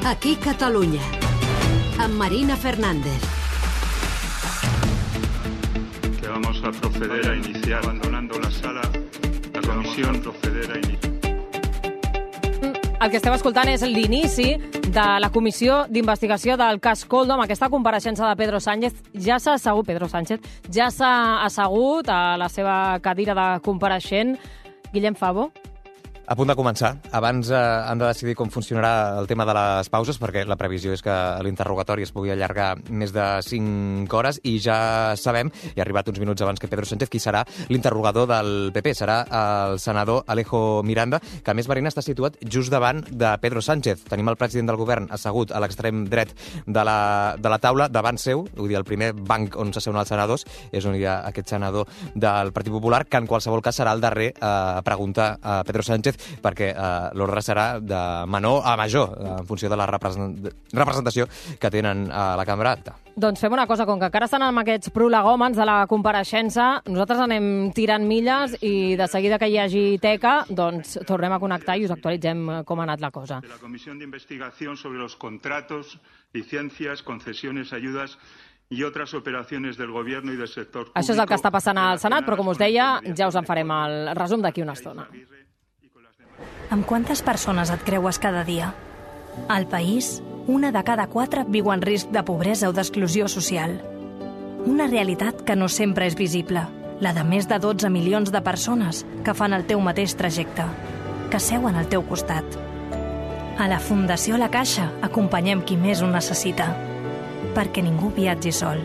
Aquí Catalunya, amb Marina Fernández. Que vamos a proceder a iniciar, abandonando la sala, la comisión proceder a iniciar. El que esteu escoltant és l'inici de la comissió d'investigació del cas Koldo. Amb aquesta compareixença de Pedro Sánchez ja s'ha assegut a la seva cadira de compareixent. Guillem Favo. A punt de començar. Abans han de decidir com funcionarà el tema de les pauses, perquè la previsió és que l'interrogatori es pugui allargar més de 5 hores, i ja sabem, i ha arribat uns minuts abans que Pedro Sánchez, qui serà l'interrogador del PP. Serà el senador Alejo Miranda, que a més, Marina, està situat just davant de Pedro Sánchez. Tenim el president del govern assegut a l'extrem dret de la taula, davant seu, vull dir, el primer banc on s'asseuen els senadors, és on hi ha aquest senador del Partit Popular, que en qualsevol cas serà el darrer a preguntar a Pedro Sánchez, perquè l'ordre serà de menor a major, en funció de la representació que tenen a la Cambra Alta. Doncs fem una cosa, com que encara estan amb aquests prolegòmens de la compareixença, nosaltres anem tirant milles i de seguida que hi hagi teca, doncs tornem a connectar i us actualitzem com ha anat la cosa. De la Comissió d'Investigació sobre los contratos, licencias, concesiones, ayudas i altres operacions del govern i del sector públic. Això és el que està passant al Senat, però com us deia, ja us en farem el resum d'aquí una estona. Amb quantes persones et creues cada dia? Al país, 1 de cada 4 viu en risc de pobresa o d'exclusió social. Una realitat que no sempre és visible, la de més de 12 milions de persones que fan el teu mateix trajecte, que seuen al teu costat. A la Fundació La Caixa acompanyem qui més ho necessita, perquè ningú viatgi sol.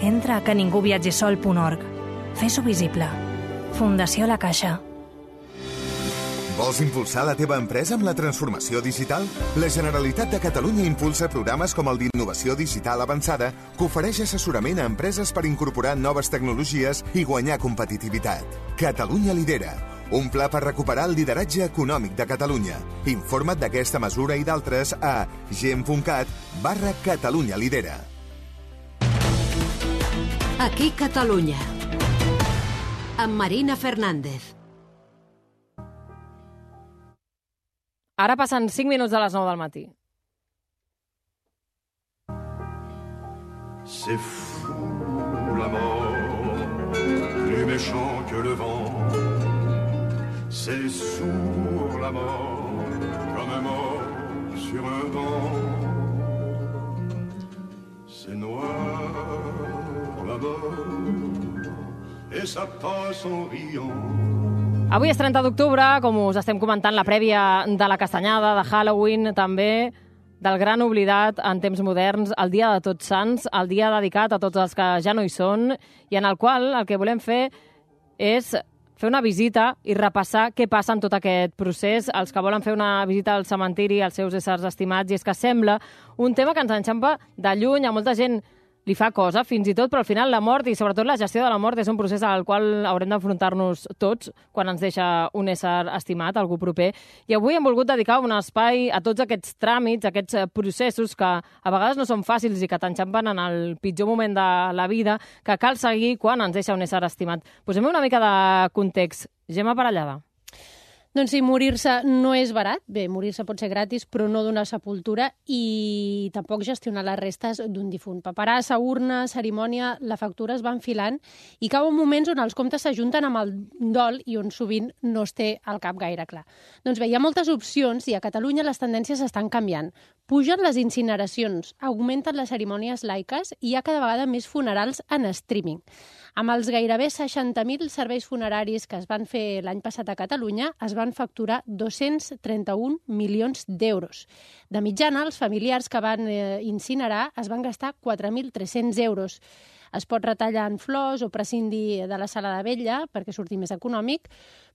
Entra a queningúviatgisol.org. Fes-ho visible. Fundació La Caixa. Vols impulsar la teva empresa amb la transformació digital? La Generalitat de Catalunya impulsa programes com el d'Innovació Digital Avançada, que ofereix assessorament a empreses per incorporar noves tecnologies i guanyar competitivitat. Catalunya lidera. Un pla per recuperar el lideratge econòmic de Catalunya. Informa't d'aquesta mesura i d'altres a gem.cat/Catalunya lidera. Aquí Catalunya, amb Marina Fernández. Ara passen 5 minuts de les 9 del matí. C'est fou la mort, plus méchant que le vent. C'est sourd la mort, comme un mort sur un banc. C'est noir la mort, et ça passe en riant. Avui és 30 d'octubre, com us estem comentant, la prèvia de la castanyada, de Halloween, també del gran oblidat en temps moderns, el dia de Tots Sants, el dia dedicat a tots els que ja no hi són, i en el qual el que volem fer és fer una visita i repassar què passa en tot aquest procés. Els que volen fer una visita al cementiri, als seus éssers estimats, i és que sembla un tema que ens enxampa de lluny, a molta gent li fa cosa, fins i tot, però al final la mort i sobretot la gestió de la mort és un procés al qual haurem d'enfrontar-nos tots quan ens deixa un ésser estimat, algú proper. I avui hem volgut dedicar un espai a tots aquests tràmits, aquests processos que a vegades no són fàcils i que t'enxampen en el pitjor moment de la vida, que cal seguir quan ens deixa un ésser estimat. Posem una mica de context. Gemma Parellada. Doncs sí, morir-se no és barat. Bé, morir-se pot ser gratis, però no donar sepultura i tampoc gestionar les restes d'un difunt. Paperassa, urna, cerimònia, la factura es va enfilant i cauen moments on els comptes s'ajunten amb el dol i on sovint no es té al cap gaire clar. Doncs bé, hi ha moltes opcions i a Catalunya les tendències estan canviant. Pugen les incineracions, augmenten les cerimònies laiques i hi ha cada vegada més funerals en streaming. Amb els gairebé 60.000 serveis funeraris que es van fer l'any passat a Catalunya, es van facturar 231 milions d'euros. De mitjana, els familiars que van incinerar es van gastar 4.300 euros. Es pot retallar en flors o prescindir de la sala de vetlla perquè surti més econòmic,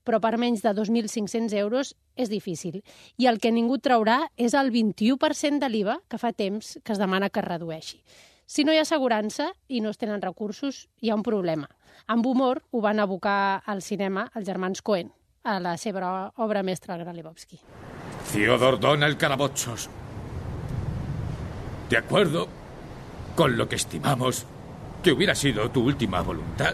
però per menys de 2.500 euros és difícil. I el que ningú traurà és el 21% de l'IVA que fa temps que es demana que es redueixi. Si no hi ha assegurança i no es tenen recursos, hi ha un problema. Amb humor ho van abocar al cinema els germans Coen, a la seva obra mestra, el Gran Lebowski. Fyodor Donald Calabochos. De acuerdo con lo que estimamos que hubiera sido tu última voluntad,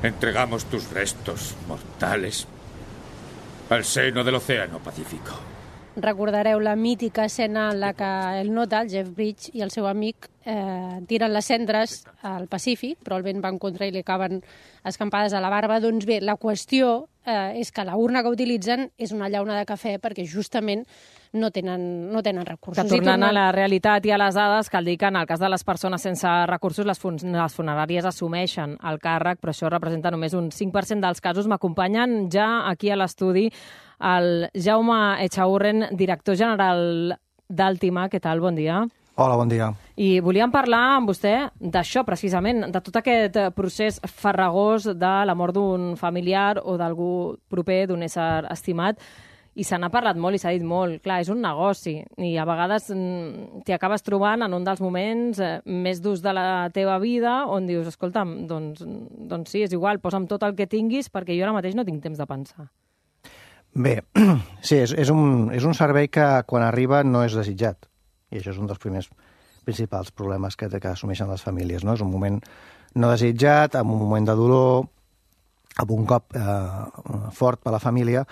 entregamos tus restos mortales al seno del Océano Pacífico. recordareu la mítica escena en la que el Nota, el Jeff Bridges, i el seu amic tiren les cendres al Pacífic, però el vent va en contra i li acaben escampades a la barba. Doncs bé, la qüestió és que la urna que utilitzen és una llauna de cafè perquè justament no tenen recursos. Que tornant a la realitat i a les dades, cal dir que en el cas de les persones sense recursos, les funeràries assumeixen el càrrec, però això representa només un 5% dels casos. M'acompanyen ja aquí a l'estudi el Jaume Echaurren, director general d'Àltima. Què tal? Bon dia. Hola, bon dia. I volíem parlar amb vostè d'això, precisament, de tot aquest procés farragós de la mort d'un familiar o d'algú proper, d'un ésser estimat. I se n'ha parlat molt i s'ha dit molt. Clar, és un negoci i a vegades t'hi acabes trobant en un dels moments més durs de la teva vida on dius, escolta'm, doncs sí, és igual, posa'm tot el que tinguis perquè jo ara mateix no tinc temps de pensar. Bé, sí, és un servei que quan arriba no és desitjat. I això és un dels primers principals problemes que assumeixen les famílies, no? És un moment no desitjat, amb un moment de dolor, amb un cop fort per a la família.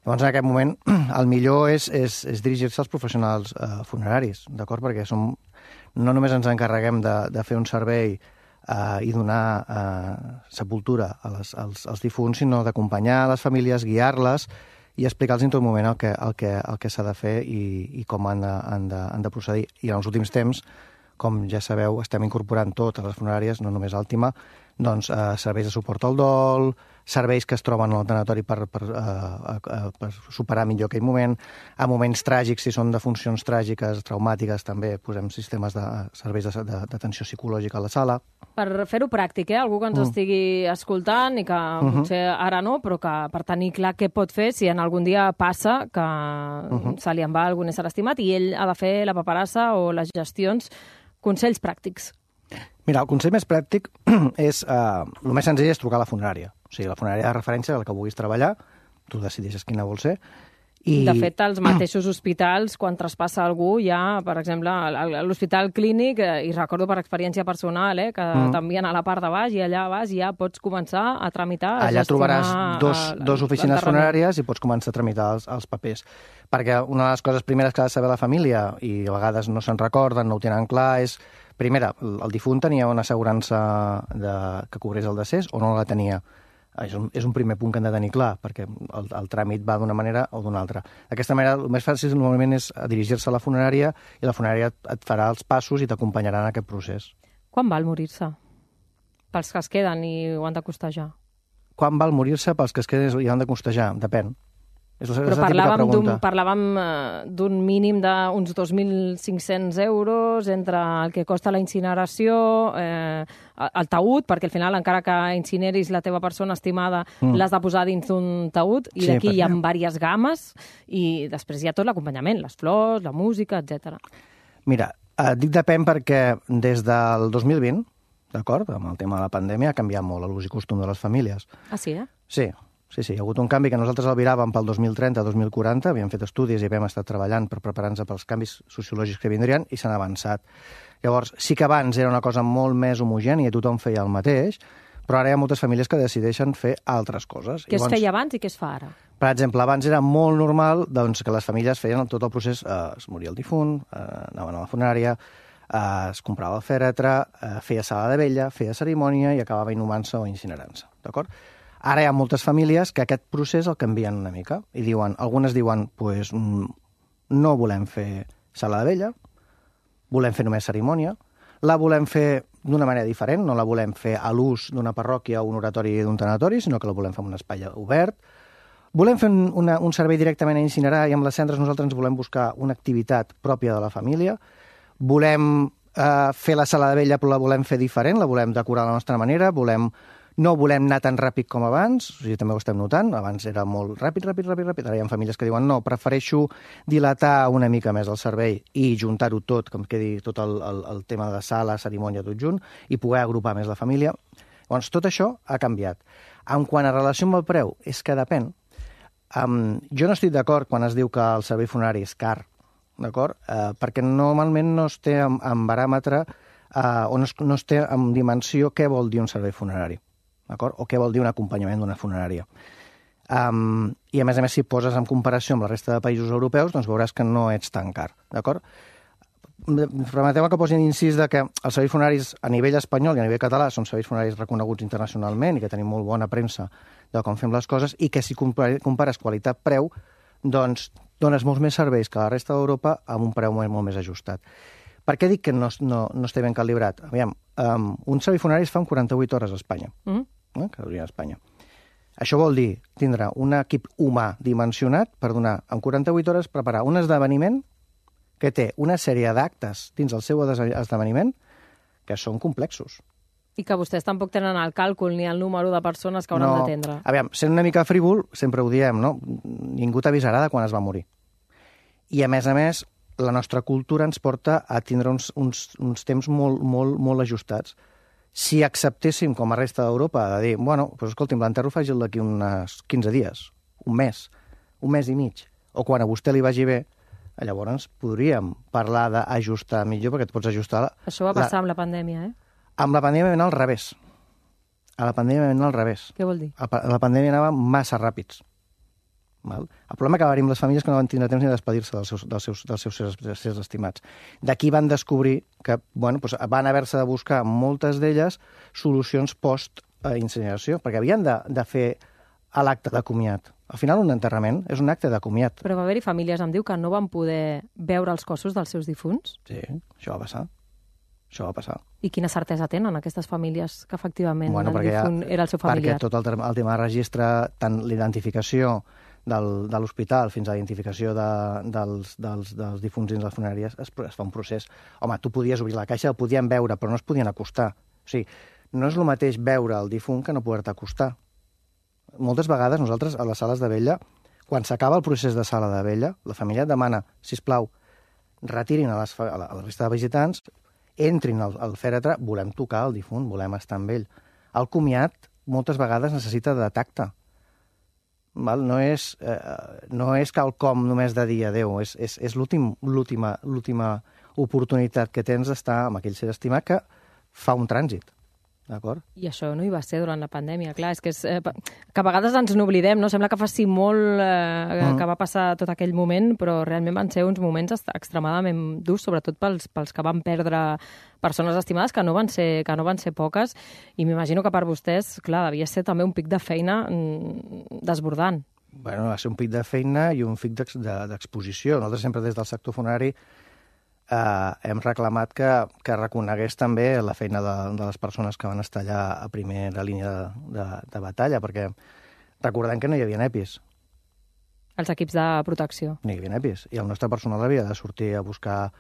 Llavors, en aquest moment, el millor és dirigir-se als professionals funeraris, d'acord? Perquè no només ens encarreguem de fer un servei i donar sepultura als difunts, sinó d'acompanyar les famílies, guiar-les i explicar-los en tot moment el que s'ha de fer i com han de procedir. I en els últims temps, com ja sabeu, estem incorporant totes les funeràries, no només Àltima, doncs serveis de suport al dol, serveis que es troben al tanatori per superar millor aquell moment, a moments tràgics, si són de funcions tràgiques, traumàtiques, també posem sistemes de serveis d'atenció psicològica a la sala. Per fer-ho pràctic, algú que ens estigui escoltant i que potser ara no, però que per tenir clar què pot fer si en algun dia passa que se li en va algun ésser estimat i ell ha de fer la paperassa o les gestions. Consells pràctics. Mira, el consell més pràctic és, el més senzill és trucar a la funerària. O sigui, la funerària de referència a la que vulguis treballar, tu decideixes quina vol ser. De fet, els mateixos hospitals, quan traspassa algú, ja, per exemple, a l'Hospital Clínic, i recordo per experiència personal, que t'envien a la part de baix i allà vas i ja pots començar a tramitar, a allà gestionar... trobaràs dos oficines funeràries i pots començar a tramitar els papers. Perquè una de les coses primeres que ha de saber la família, i a vegades no se'n recorden, no ho tenen clar, és, primera, el difunt tenia una assegurança que cobrés el decés o no la tenia? És un primer punt que hem de tenir clar, perquè el tràmit va d'una manera o d'una altra. D'aquesta manera, el més fàcil normalment és dirigir-se a la funerària i la funerària et farà els passos i t'acompanyarà en aquest procés. Quan val morir-se? Pels que es queden i ho han de costejar. Quan val morir-se pels que es queden i han de costejar? Depèn. Però parlàvem d'un mínim d'uns 2.500 euros entre el que costa la incineració, el taüt, perquè al final, encara que incineris la teva persona estimada, l'has de posar dins d'un taüt, i d'aquí hi ha diverses games, i després hi ha tot l'acompanyament, les flors, la música, etc. Mira, dic depèn perquè des del 2020, d'acord, amb el tema de la pandèmia, ha canviat molt l'ús i costum de les famílies. Ah, sí, Sí. Sí, hi ha hagut un canvi que nosaltres albiràvem pel 2030-2040, havíem fet estudis i havíem estat treballant per preparar-nos pels canvis sociològics que vindrien i s'han avançat. Llavors, sí que abans era una cosa molt més homogènia, tothom feia el mateix, però ara hi ha moltes famílies que decideixen fer altres coses. Què es feia abans i què es fa ara? Per exemple, abans era molt normal que les famílies feien tot el procés, es moria el difunt, anaven a la funerària, es comprava el fèretre, feia sala de vella, feia cerimònia i acabava inhumant-se o incinerant-se, d'acord? Ara hi ha moltes famílies que aquest procés el canvien una mica i diuen, algunes diuen, pues, no volem fer sala de vella, volem fer només cerimònia, la volem fer d'una manera diferent, no la volem fer a l'ús d'una parròquia o un oratori d'un tanatori, sinó que la volem fer en un espai obert. Volem fer un servei directament a incinerar i amb les cendres nosaltres ens volem buscar una activitat pròpia de la família. Volem fer la sala de vella però la volem fer diferent, la volem decorar a la nostra manera, no volem anar tan ràpid com abans, o sigui, també ho estem notant, abans era molt ràpid, ara hi ha famílies que diuen no, prefereixo dilatar una mica més el servei i juntar-ho tot, que em quedi tot el tema de sala, cerimònia, tot junt, i poder agrupar més la família. Llavors, tot això ha canviat. En quant a relació amb el preu, és que depèn. Jo no estic d'acord quan es diu que el servei funerari és car, d'acord? Perquè normalment no es té en baràmetre o no es té en dimensió què vol dir un servei funerari. O què vol dir un acompanyament d'una funerària. I, a més, si poses en comparació amb la resta de països europeus, doncs veuràs que no ets tan car, d'acord? Permeteu que posi incís que els serveis funeraris a nivell espanyol i a nivell català són serveis funeraris reconeguts internacionalment i que tenim molt bona premsa de com fem les coses i que si compares qualitat-preu, doncs dones molts més serveis que la resta d'Europa amb un preu molt més ajustat. Per què dic que no està ben calibrat? Aviam, un servei funerari es fa en 48 hores a Espanya, que hauria a Espanya. Això vol dir tindre un equip humà dimensionat per donar en 48 hores preparar un esdeveniment que té una sèrie d'actes dins el seu esdeveniment que són complexos. I que vostès tampoc tenen el càlcul ni el número de persones que hauran d'atendre. Aviam, sent una mica frívol, sempre ho diem, no? Ningú t'avisarà de quan es va morir. I, a més, la nostra cultura ens porta a tindre uns temps molt ajustats. Si acceptéssim, com a resta d'Europa, de dir, bueno, doncs escolti'm, l'enterro faci'l d'aquí uns 15 dies, un mes i mig, o quan a vostè li vagi bé, llavors podríem parlar d'ajustar millor, perquè et pots ajustar... Això va passar amb la pandèmia, Amb la pandèmia va anar al revés. A la pandèmia va anar al revés. Què vol dir? A la pandèmia anava massa ràpids. El problema que va haver amb les famílies que no van tindre temps ni de despedir-se dels seus estimats. D'aquí van descobrir que van haver-se de buscar, moltes d'elles, solucions post-incineració, perquè havien de fer l'acte de comiat. Al final, un enterrament és un acte de comiat. Però va haver-hi famílies, em diu, que no van poder veure els cossos dels seus difunts? Sí, això va passar. Això va passar. I quina certesa tenen aquestes famílies que efectivament el difunt era el seu familiar? Perquè tot el tema de registre, tant l'identificació de l'hospital fins a la identificació dels difunts dins les funeràries, es fa un procés. Home, tu podies obrir la caixa, el podien veure, però no es podien acostar. O sigui, no és el mateix veure el difunt que no poder-te acostar. Moltes vegades nosaltres a les sales de vella, quan s'acaba el procés de sala de vella, la família demana, sisplau, retirin a la resta de visitants, entrin al fèretre, volem tocar el difunt, volem estar amb ell. El comiat moltes vegades necessita de tacte. No és quelcom només de dir adéu, és l'última oportunitat que tens d'estar amb aquell ser estimat que fa un trànsit. D'acord? I això no hi va ser durant la pandèmia, clar, és que a vegades ens n'oblidem, no? Sembla que faci molt que va passar tot aquell moment, però realment van ser uns moments extremadament durs, sobretot pels que van perdre persones estimades, que no van ser poques, i m'imagino que per vostès, clar, devia ser també un pic de feina desbordant. Bueno, va ser un pic de feina i un pic d'exposició. Nosaltres sempre des del sector funerari hem reclamat que reconegués també la feina de les persones que van estar allà a primera línia de batalla, perquè recordem que no hi havia EPIs. Els equips de protecció. No hi havia EPIs, i el nostre personal havia de sortir a buscar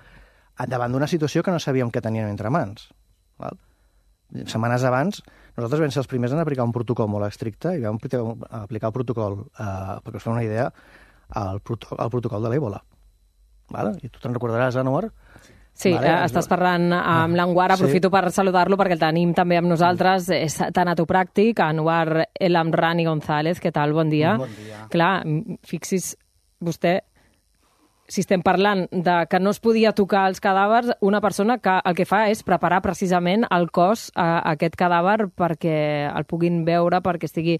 davant d'una situació que no sabíem què teníem entre mans. Setmanes abans, nosaltres vam ser els primers en aplicar un protocol molt estricte i vam aplicar el protocol, perquè us feu una idea, el protocol de l'Ébola. I tu te'n recordaràs, Anwar? Sí, estàs parlant amb l'Anwar, aprofito per saludar-lo perquè el tenim també amb nosaltres, és tanatopràctic, Anwar El Amrani González, què tal? Bon dia. Bon dia. Clar, fixi's vostè, si estem parlant de que no es podia tocar els cadàvers, una persona que el que fa és preparar precisament el cos a aquest cadàver perquè el puguin veure, perquè estigui,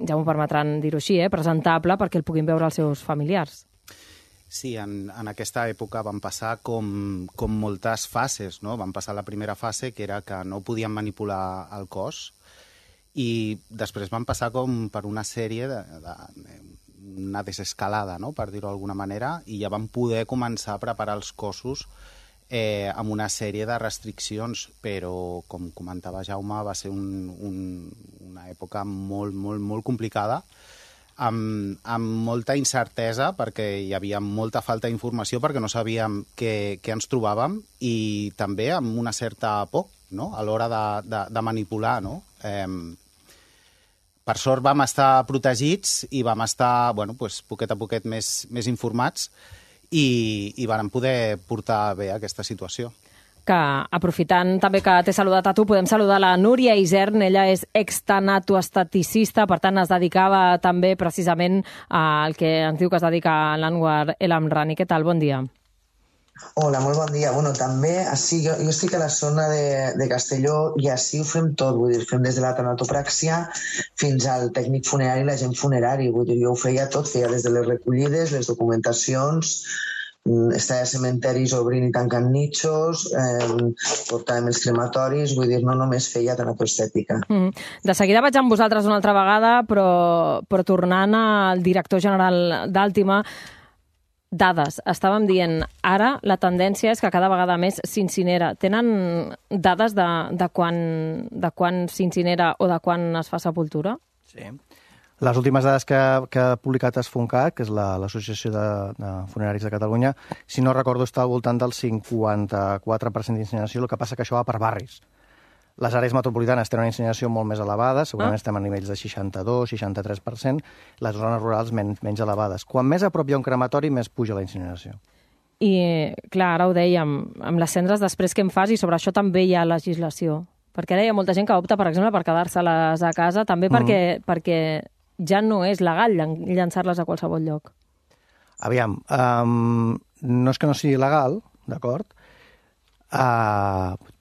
ja m'ho permetran dir-ho així, presentable, perquè el puguin veure els seus familiars. Sí, en aquesta època van passar com moltes fases, no? Van passar la primera fase, que era que no podien manipular el cos, i després van passar com per una sèrie una desescalada, no? Per dir-ho d'alguna manera, i ja van poder començar a preparar els cossos amb una sèrie de restriccions, però, com comentava Jaume, va ser una època molt complicada, amb molta incertesa, perquè hi havia molta falta d'informació, perquè no sabíem què ens trobàvem, i també amb una certa por, no?, a l'hora de manipular, no? Per sort vam estar protegits i vam estar, poquet a poquet més informats, i vam poder portar bé aquesta situació. Que, aprofitant també que t'he saludat a tu, podem saludar la Núria Isern, ella és extanatoestaticista, per tant es dedicava també precisament al que ens diu que es dedica l'Anwar El Amrani. Què tal? Bon dia. Hola, molt bon dia. Bueno, també, jo estic a la zona de Castelló i així ho fem tot, vull dir, fem des de la tanatopràxia fins al tècnic funerari i l'agent funerari, vull dir, jo ho feia tot, feia des de les recollides, les documentacions, estava a cementeris obrint i tancant nitxos, portàvem els crematoris, vull dir, no només feia tanatoestètica. De seguida vaig amb vosaltres una altra vegada, però tornant al director general d'Àltima, dades. Estàvem dient, ara la tendència és que cada vegada més s'incinera. Tenen dades de quan s'incinera o de quan es fa sepultura? Sí. Les últimes dades que ha publicat Esfoncat, que és l'Associació de Funeraris de Catalunya, si no recordo, està al voltant del 54% d'incineració, el que passa que això va per barris. Les àrees metropolitanes tenen una incineració molt més elevada, segurament estem a nivells de 62-63%, les zones rurals menys elevades. Quan més a prop hi ha un crematori, més puja la incineració. I, clar, ara ho dèiem, amb les cendres després què en fas, i sobre això també hi ha legislació. Perquè ara hi ha molta gent que opta, per exemple, per quedar-se-les a casa, també perquè ja no és legal llançar-les a qualsevol lloc. Aviam, no és que no sigui legal, d'acord?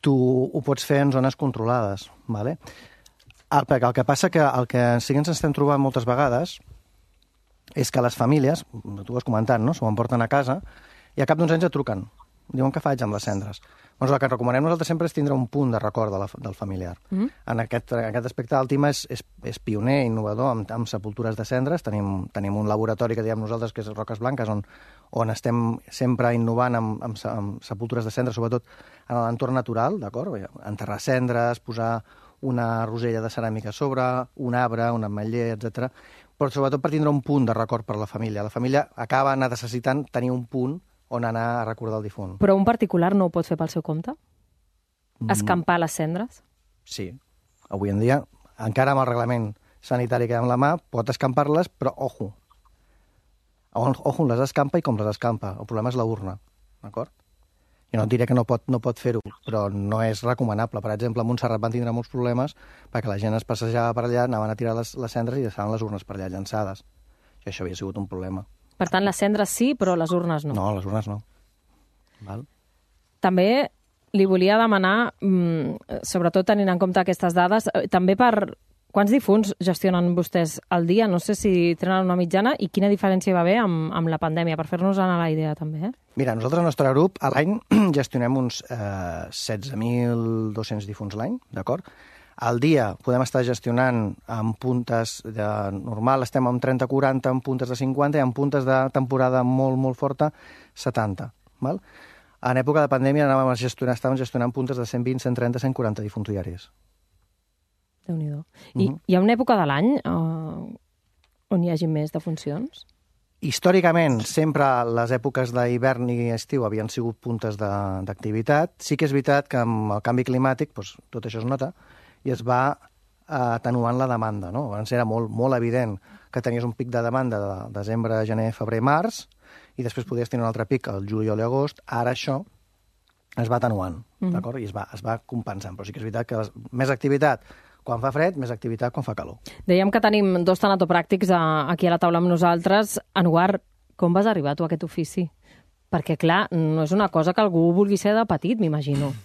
Tu ho pots fer en zones controlades, ¿vale? Perquè el que passa que el que sí que ens estem trobant moltes vegades és que les famílies, tu ho has comentat, no? S'ho emporten a casa i a cap d'uns anys et truquen. Diuen què faig amb les cendres. Doncs el que recomanem nosaltres sempre és tindre un punt de record del familiar. En aquest aspecte, Àltima és pioner, innovador, amb sepultures de cendres. Tenim un laboratori que diem nosaltres, que és Roques Blanques, on estem sempre innovant amb sepultures de cendres, sobretot en l'entorn natural, d'acord? Enterrar cendres, posar una rosella de ceràmica a sobre, un arbre, un ametller, etc. Però sobretot per tindre un punt de record per la família. La família acaba necessitant tenir un punt on anar a recordar el difunt. Però un particular no ho pot fer pel seu compte? Escampar les cendres? Sí. Avui en dia, encara amb el reglament sanitari que hi ha amb la mà, pot escampar-les, però ojo. Ojo, les escampa i com les escampa. El problema és la urna, d'acord? Jo no et diré que no pot fer-ho, però no és recomanable. Per exemple, a Montserrat van tindre molts problemes perquè la gent es passejava per allà, anaven a tirar les cendres i deixaven les urnes per allà llançades. I això havia sigut un problema. Per tant, les cendres sí, però les urnes no. No, les urnes no. Val? També li volia demanar, sobretot tenint en compte aquestes dades, també per quants difunts gestionen vostès al dia? No sé si tenen una mitjana i quina diferència hi va haver amb la pandèmia, per fer-nos anar la idea també. Mira, nosaltres al nostre grup a l'any gestionem uns 16.200 difunts l'any, d'acord? Al dia podem estar gestionant amb puntes de normal, estem amb 30-40, amb puntes de 50 i amb puntes de temporada molt, molt forta, 70. Val? En època de pandèmia estàvem gestionant puntes de 120, 130, 140 difunts diaris. Déu-n'hi-do. I hi ha una època de l'any on hi hagi més defuncions? Històricament, sempre les èpoques d'hivern i estiu havien sigut puntes d'activitat. Sí que és veritat que amb el canvi climàtic tot això es nota, i es va atenuant la demanda, no? Abans era molt evident que tenies un pic de demanda de desembre, gener, febrer, març, i després podies tenir un altre pic al juliol i agost. Ara això es va atenuant, d'acord? I es va compensant. Però sí que és veritat que més activitat quan fa fred, més activitat quan fa calor. Dèiem que tenim dos tanatopràctics aquí a la taula amb nosaltres. Enguar, com vas arribar tu a aquest ofici? Perquè, clar, no és una cosa que algú vulgui ser de petit, m'imagino.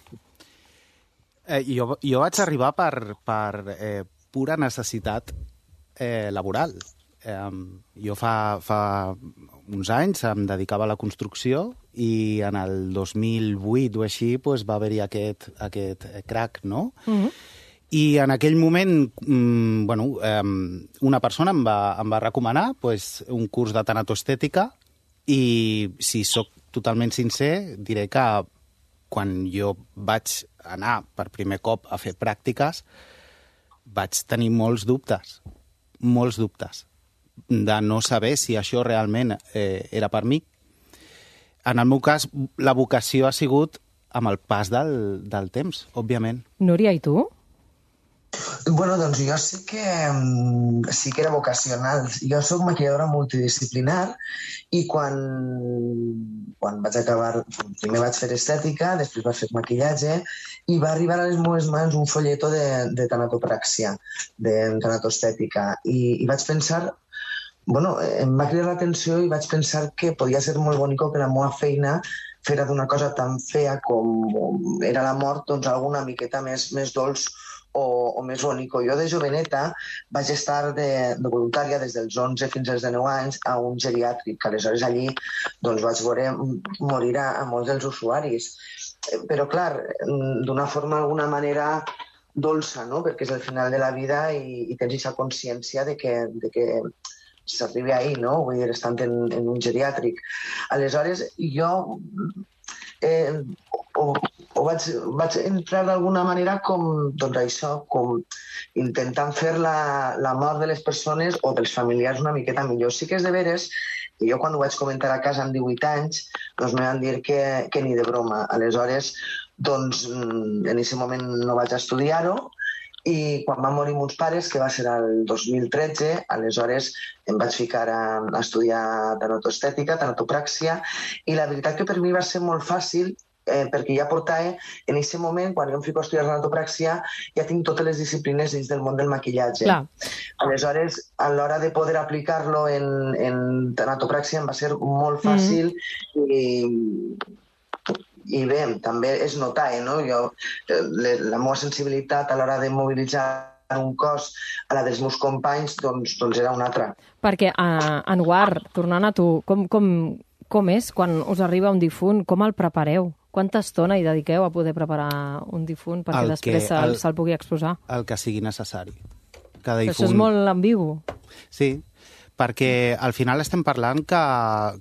Jo vaig arribar per pura necessitat laboral. Jo fa uns anys em dedicava a la construcció i en el 2008 o així va haver-hi aquest crac, no? I en aquell moment una persona em va recomanar un curs de tanatoestètica i, si sóc totalment sincer, diré que quan jo vaig anar per primer cop a fer pràctiques vaig tenir molts dubtes de no saber si això realment era per mi. En el meu cas, la vocació ha sigut amb el pas del temps, òbviament. Núria, i tu? Bueno, doncs jo sí que era vocacional. Jo soc maquilladora multidisciplinar i quan vaig acabar, primer vaig fer estètica, després vaig fer maquillatge i va arribar a les meves mans un folleto de tanatopràxia, de tanatoestètica, i vaig pensar, em va cridar l'atenció i vaig pensar que podia ser molt bonic que la meva feina fer d'una cosa tan fea com era la mort, doncs alguna miqueta més dolç o més bonico. Jo de joveneta vaig estar de voluntària des dels 11 fins als 19 anys a un geriàtric, que aleshores allí doncs, vaig veure morir a molts dels usuaris. Però, clar, d'una forma, d'alguna manera dolça, no? Perquè és el final de la vida i tens aquesta consciència de que s'arribi ahir, no? Vull dir, estant en un geriàtric. Aleshores, jo vaig entrar d'alguna manera com, doncs això, com intentant fer la mort de les persones o dels familiars una miqueta millor. Sí que és de veres que jo quan ho vaig comentar a casa amb 18 anys, doncs me van dir que ni de broma. Aleshores, doncs, en aquest moment no vaig estudiar-ho i quan van morir meus pares, que va ser el 2013, aleshores em vaig ficar a estudiar tanatoestètica, tanatopràxia, i la veritat que per mi va ser molt fàcil perquè ja portava, en aquest moment, quan jo em fico a estudiar tanatopràxia, ja tinc totes les disciplines dins del món del maquillatge. Clar. Aleshores, a l'hora de poder aplicar-lo en tanatopràxia em va ser molt fàcil i bé, també és notar, no? La meva sensibilitat a l'hora de mobilitzar un cos a la dels meus companys doncs era una altra. Perquè, Anwar, tornant a tu, com és quan us arriba un difunt? Com el prepareu? Quanta estona hi dediqueu a poder preparar un difunt perquè després se'l pugui exposar? El que sigui necessari. Això és molt ambigu. Sí, perquè al final estem parlant que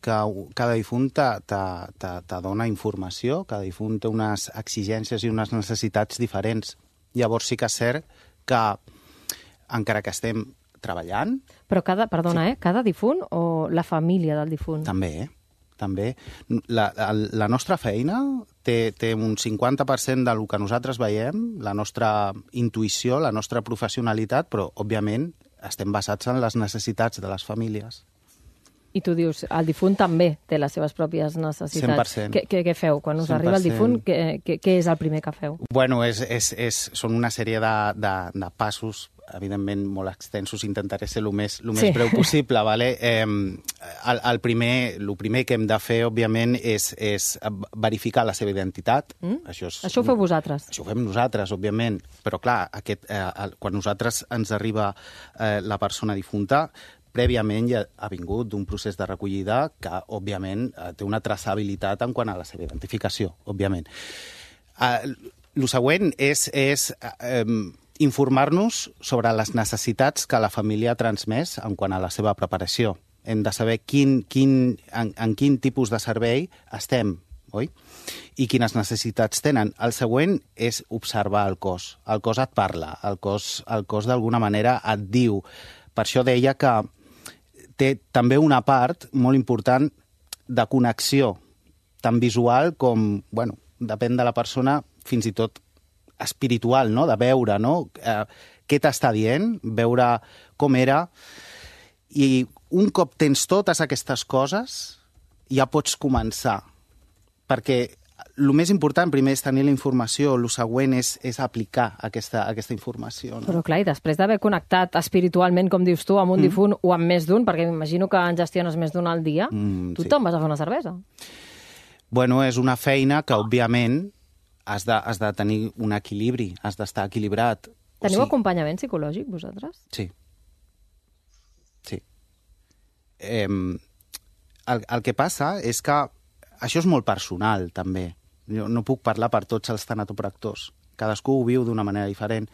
cada difunt te dona informació, cada difunt té unes exigències i unes necessitats diferents. Llavors sí que és cert que, encara que estem treballant... Però cada difunt o la família del difunt? També. La nostra feina té un 50% del que nosaltres veiem, la nostra intuïció, la nostra professionalitat, però, òbviament, estem basats en les necessitats de les famílies. I tu dius, el difunt també té les seves pròpies necessitats. 100%. Què feu? Quan us 100%. Arriba el difunt, què és el primer que feu? Bueno, són una sèrie de passos, evidentment molt extensos, intentaré ser el més breu possible. ¿Vale? El primer que hem de fer, òbviament, és verificar la seva identitat. Això ho feu vosaltres? Això ho fem nosaltres, òbviament. Però, clar, quan nosaltres ens arriba la persona difunta, prèviament ja ha vingut d'un procés de recollida que, òbviament, té una traçabilitat en quant a la seva identificació, òbviament. El següent és informar-nos sobre les necessitats que la família ha transmès en quant a la seva preparació. Hem de saber en quin tipus de servei estem, oi? I quines necessitats tenen. El següent és observar el cos. El cos et parla, el cos d'alguna manera et diu. Per això deia que té també una part molt important de connexió, tant visual com, bueno, depèn de la persona, fins i tot espiritual, no? De veure, no? Què t'està dient, veure com era. I un cop tens totes aquestes coses, ja pots començar. Perquè el més important primer és tenir la informació, el següent és aplicar aquesta informació. No? Però clar, i després d'haver connectat espiritualment, com dius tu, amb un difunt o amb més d'un, perquè m'imagino que en gestiones més d'un al dia, tu te'n vas a fer una cervesa. Bueno, és una feina que, òbviament, has de tenir un equilibri, has d'estar equilibrat. Teniu acompanyament psicològic, vosaltres? Sí. El que passa és que això és molt personal, també. Jo no puc parlar per tots els tanatopractors. Cadascú ho viu d'una manera diferent.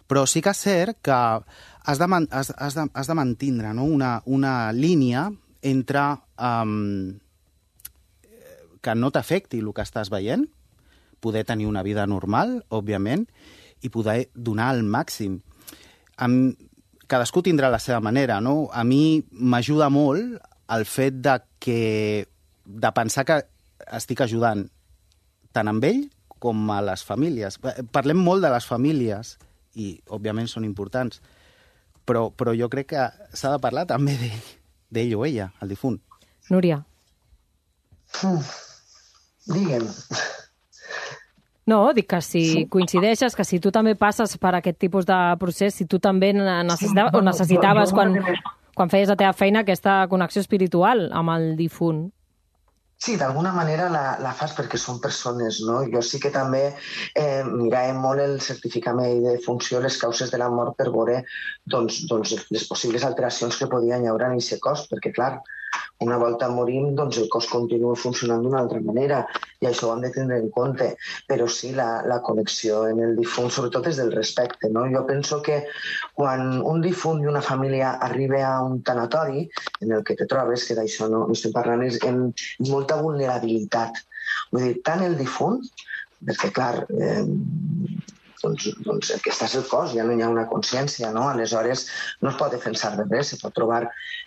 Però sí que és cert que has de mantindre, no? una línia entre que no t'afecti el que estàs veient, poder tenir una vida normal, òbviament, i poder donar el màxim. Cadascú tindrà la seva manera, no? A mi m'ajuda molt el fet de pensar que estic ajudant tant amb ell com a les famílies. Parlem molt de les famílies i, òbviament, són importants, però jo crec que s'ha de parlar també d'ell o ella, el difunt. Núria. Digue'm. No, dic que si coincideixes, que si tu també passes per aquest tipus de procés, si tu també necessitaves quan feies la teva feina aquesta connexió espiritual amb el difunt. Sí, d'alguna manera la fas perquè són persones, no? Jo sí que també miràvem molt el certificament de funció, les causes de la mort per veure doncs, les possibles alteracions que podien haver en aquest cos, perquè, clar, una volta morim, doncs el cos continua funcionant d'una altra manera i això ho hem de tenir en compte. Però sí, la connexió en el difunt, sobretot és del respecte, no? Jo penso que quan un difunt i una família arriba a un tanatori en el que te trobes, que d'això no estem parlant, és en molta vulnerabilitat. Vull dir, tant el difunt, perquè clar, doncs el que està és el cos, ja no hi ha una consciència, no? Aleshores no es pot defensar de res, se pot trobar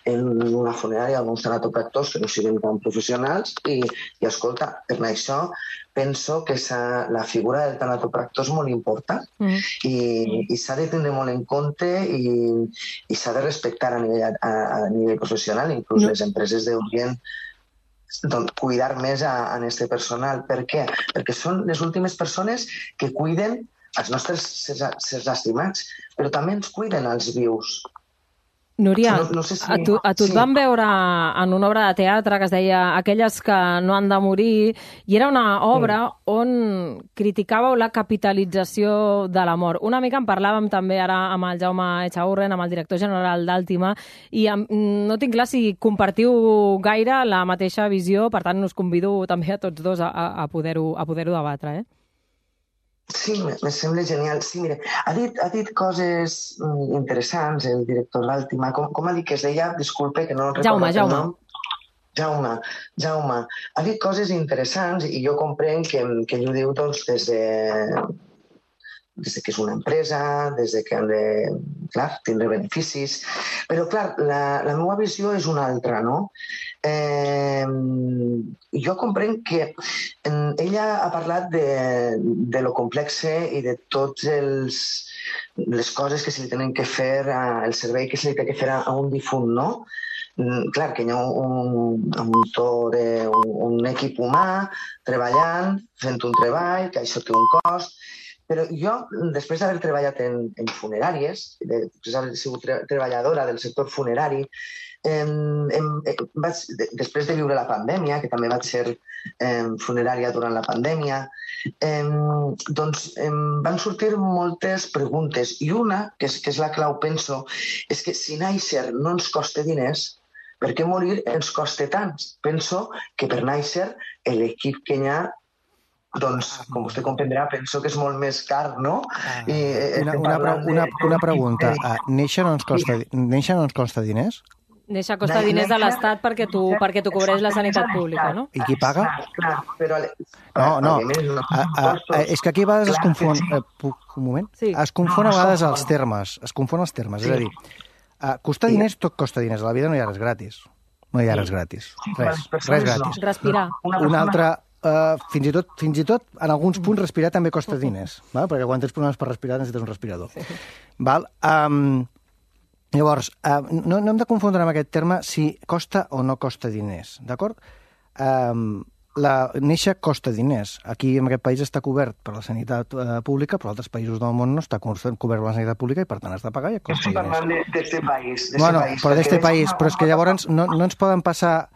en una funerària alguns tanatopractors que no siguin tan professionals i escolta, per això penso que la figura del tanatopractor és molt important i s'ha de tenir molt en compte i s'ha de respectar a nivell professional, inclús les empreses haurien cuidar més a aquest personal. Per què? Perquè són les últimes persones que cuiden els nostres sers estimats, però també ens cuiden els vius. Núria, a tu et van veure en una obra de teatre que es deia Aquelles que no han de morir, i era una obra on criticàveu la capitalització de la mort. Una mica en parlàvem també ara amb el Jaume Echaurren, amb el director general d'Àltima, i no tinc clar si compartiu gaire la mateixa visió, per tant us convido també a tots dos a poder-ho debatre, Sí, me sembla genial. Sí, mira, ha dit coses interessants el director d'Àltima. Com ha dit que es deia? Disculpe, que no recordo el nom. Jaume. Ha dit coses interessants i jo comprenc que ell ho diu doncs, des que és una empresa, des que han de, clar, tindre beneficis. Però, clar, la meva visió és una altra, no? Jo comprenc que ella ha parlat de lo complexe i de totes les coses que se li tenen que fer, el servei que se li té que fer a un difunt, no? Clar, que hi ha un equip humà treballant, fent un treball, que això té un cost, però jo, després d'haver treballat en funeràries, després d'haver sigut treballadora del sector funerari, després de viure la pandèmia, que també vaig ser funerària durant la pandèmia, doncs van sortir moltes preguntes i una, que és la clau, penso, és que si néixer no ens costa diners, per què morir ens costa tant? Penso que per néixer l'equip que hi ha, doncs, com vostè comprendrà, penso que és molt més car, no? Una pregunta. Néixer no ens costa diners? Néixer costa diners de l'Estat perquè t'ho cobreix la sanitat pública, no? I qui paga? Clar, però... No. És que aquí a vegades es confon... Un moment? Es confon a vegades els termes. És a dir, costar diners, tot costa diners. A la vida no hi ha res gratis. No hi ha res gratis. Res gratis. Respirar. Un altre... Fins i tot, en alguns punts, respirar també costa diners, perquè quan tens problemes per respirar necessites un respirador. Llavors, no hem de confondre amb aquest terme si costa o no costa diners, d'acord? Néixer costa diners. Aquí, en aquest país, està cobert per la sanitat pública, però altres països del món no està cobert per la sanitat pública i, per tant, has de pagar i et costa diners. Estic parlant d'este país. Bueno, però d'este país. Però és que llavors no ens poden passar...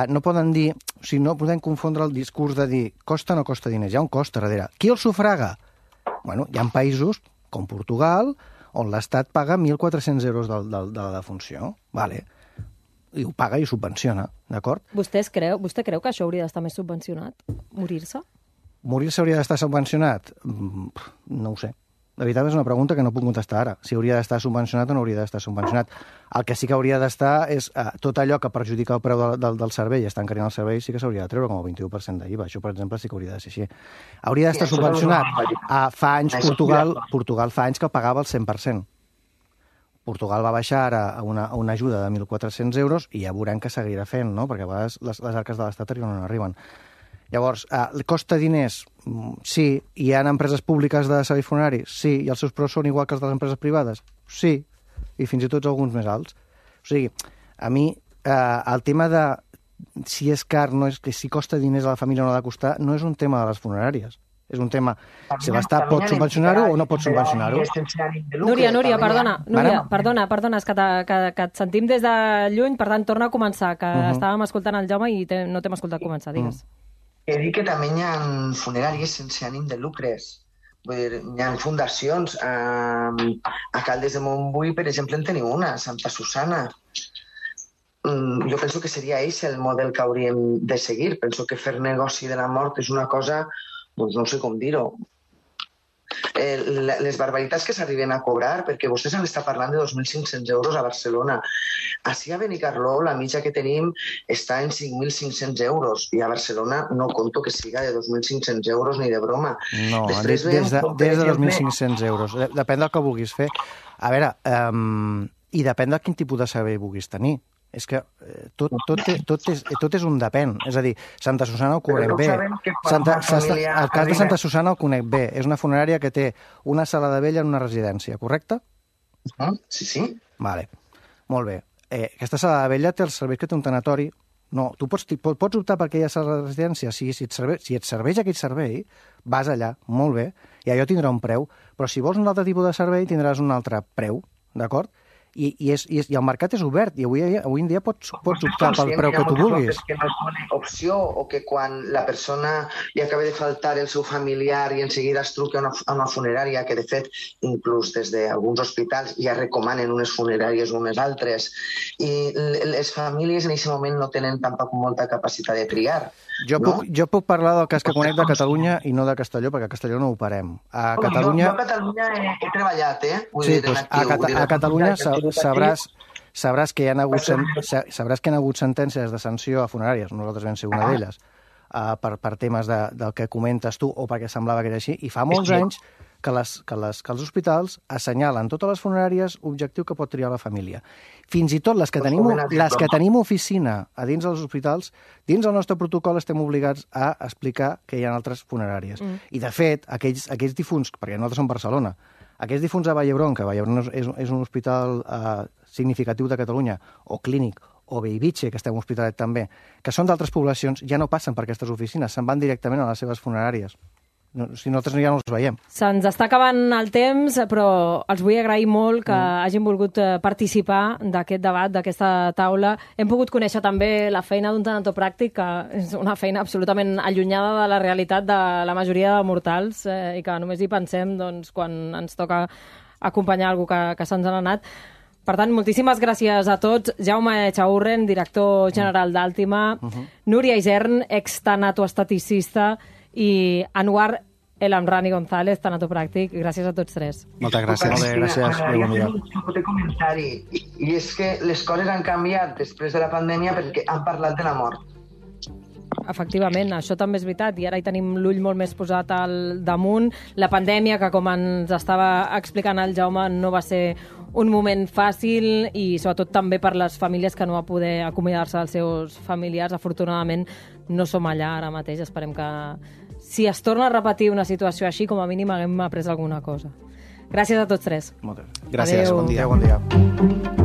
No poden dir... O sigui, no podem confondre el discurs de dir costa o no costa diners. Hi ha un cost darrere. Qui el sufraga? Bueno, hi ha països, com Portugal, on l'Estat paga 1.400 euros de la defunció. Vale. I ho paga i ho subvenciona, d'acord? Vostè creu que això hauria d'estar més subvencionat? Morir-se? Morir-se hauria d'estar subvencionat? No ho sé. La veritat és una pregunta que no puc contestar ara. Si hauria d'estar subvencionat o no hauria d'estar subvencionat. El que sí que hauria d'estar és tot allò que perjudica el preu del servei i està encarint el servei sí que s'hauria de treure com el 21% d'IVA. Això, per exemple, sí que hauria de ser així. Hauria d'estar subvencionat. Fa anys, Portugal fa anys que pagava el 100%. Portugal va baixar ara a una ajuda de 1.400 euros i ja veurem que seguirà fent, no? Perquè a vegades les arques de l'Estat arriben o no arriben. Llavors, costa diners? Sí. Hi ha empreses públiques de serveis funeraris? Sí. I els seus preus són igual que els de les empreses privades? Sí. I fins i tot alguns més alts. O sigui, a mi el tema de si és car, no és que si costa diners a la família o no ha de costar, no és un tema de les funeràries. És un tema, si l'Estat pot subvencionar-ho o no pot subvencionar-ho. Núria, perdona, és que et sentim des de lluny, per tant, torna a començar, que estàvem escoltant el Jaume i no t'hem escoltat començar, digues. He dit que també hi ha funeràries sense ànim de lucres. Vull dir, hi ha fundacions. A Caldes de Montbui, per exemple, en teniu una, Santa Susana. Jo penso que seria eix el model que hauríem de seguir. Penso que fer negoci de la mort és una cosa, doncs no sé com dir-ho. Les barbaritats que s'arriben a cobrar, perquè vostès han d'estar parlant de 2.500 euros a Barcelona. Així a Benicarló la mitja que tenim està en 5.500 euros i a Barcelona no conto que siga de 2.500 euros ni de broma. No, des de 2.500 euros. Depèn del que vulguis fer. A veure, i depèn de quin tipus de servei vulguis tenir. És que tot és un depèn. És a dir, Santa Susana ho cobrem bé. El cas de Santa Susana el conec bé. És una funerària que té una sala de vella en una residència, correcte? Sí. Vale. Molt bé. Aquesta sala de vella té els serveis que té un tanatori. No, tu pots optar per aquella sala de residència. Si et serveix aquell servei, vas allà, molt bé, i allò tindrà un preu. Però si vols un altre tipus de servei, tindràs un altre preu, d'acord? I el mercat és obert i avui en dia pots optar pel preu que tu vulguis. Que no és una opció o que quan la persona li acaba de faltar el seu familiar i en seguida es truca a una funerària, que de fet inclús des d'alguns hospitals ja recomanen unes funeràries o unes altres, i les famílies en aquest moment no tenen tampoc molta capacitat de triar. Jo puc parlar del cas que conec de Catalunya i no de Castelló, perquè a Castelló no ho parem. A Catalunya... Jo a Catalunya he treballat, Sí, doncs a Catalunya sabràs que hi ha hagut sentències de sanció a funeràries, nosaltres vam ser una d'elles, per temes del que comentes tu o perquè semblava que era així, i fa molts anys que els hospitals assenyalen totes les funeràries objectiu que pot triar la família. Fins i tot les que tenim oficina a dins dels hospitals, dins del nostre protocol estem obligats a explicar que hi ha altres funeràries. I, de fet, aquells difunts, perquè nosaltres som Barcelona, aquells difunts a Vallhebron, que Vallhebron és un hospital significatiu de Catalunya, o clínic, o Bellvitge, que estem a Hospitalet també, que són d'altres poblacions, ja no passen per aquestes oficines, se'n van directament a les seves funeràries. Si nosaltres ja no els veiem. Se'ns està acabant el temps, però els vull agrair molt que hagin volgut participar d'aquest debat, d'aquesta taula. Hem pogut conèixer també la feina d'un tanatopràctic, que és una feina absolutament allunyada de la realitat de la majoria de mortals i que només hi pensem quan ens toca acompanyar algú que se'ns ha anat. Per tant, moltíssimes gràcies a tots. Jaume Echaurren, director general d'Àltima, Núria Isern, ex-tanatoestaticista, i Anwar El Amrani González, tanatopràctic. Gràcies a tots tres. Moltes gràcies. Molt bé, gràcies. Un comentari. I és que les coses han canviat després de la pandèmia perquè han parlat de la mort. Efectivament, això també és veritat, i ara hi tenim l'ull molt més posat al damunt. La pandèmia, que com ens estava explicant el Jaume, no va ser un moment fàcil, i sobretot també per les famílies que no va poder acomiadar-se dels seus familiars. Afortunadament no som allà ara mateix. Esperem que si es torna a repetir una situació així, com a mínim haguem après alguna cosa. Gràcies a tots tres. Moltes gràcies. Bon dia.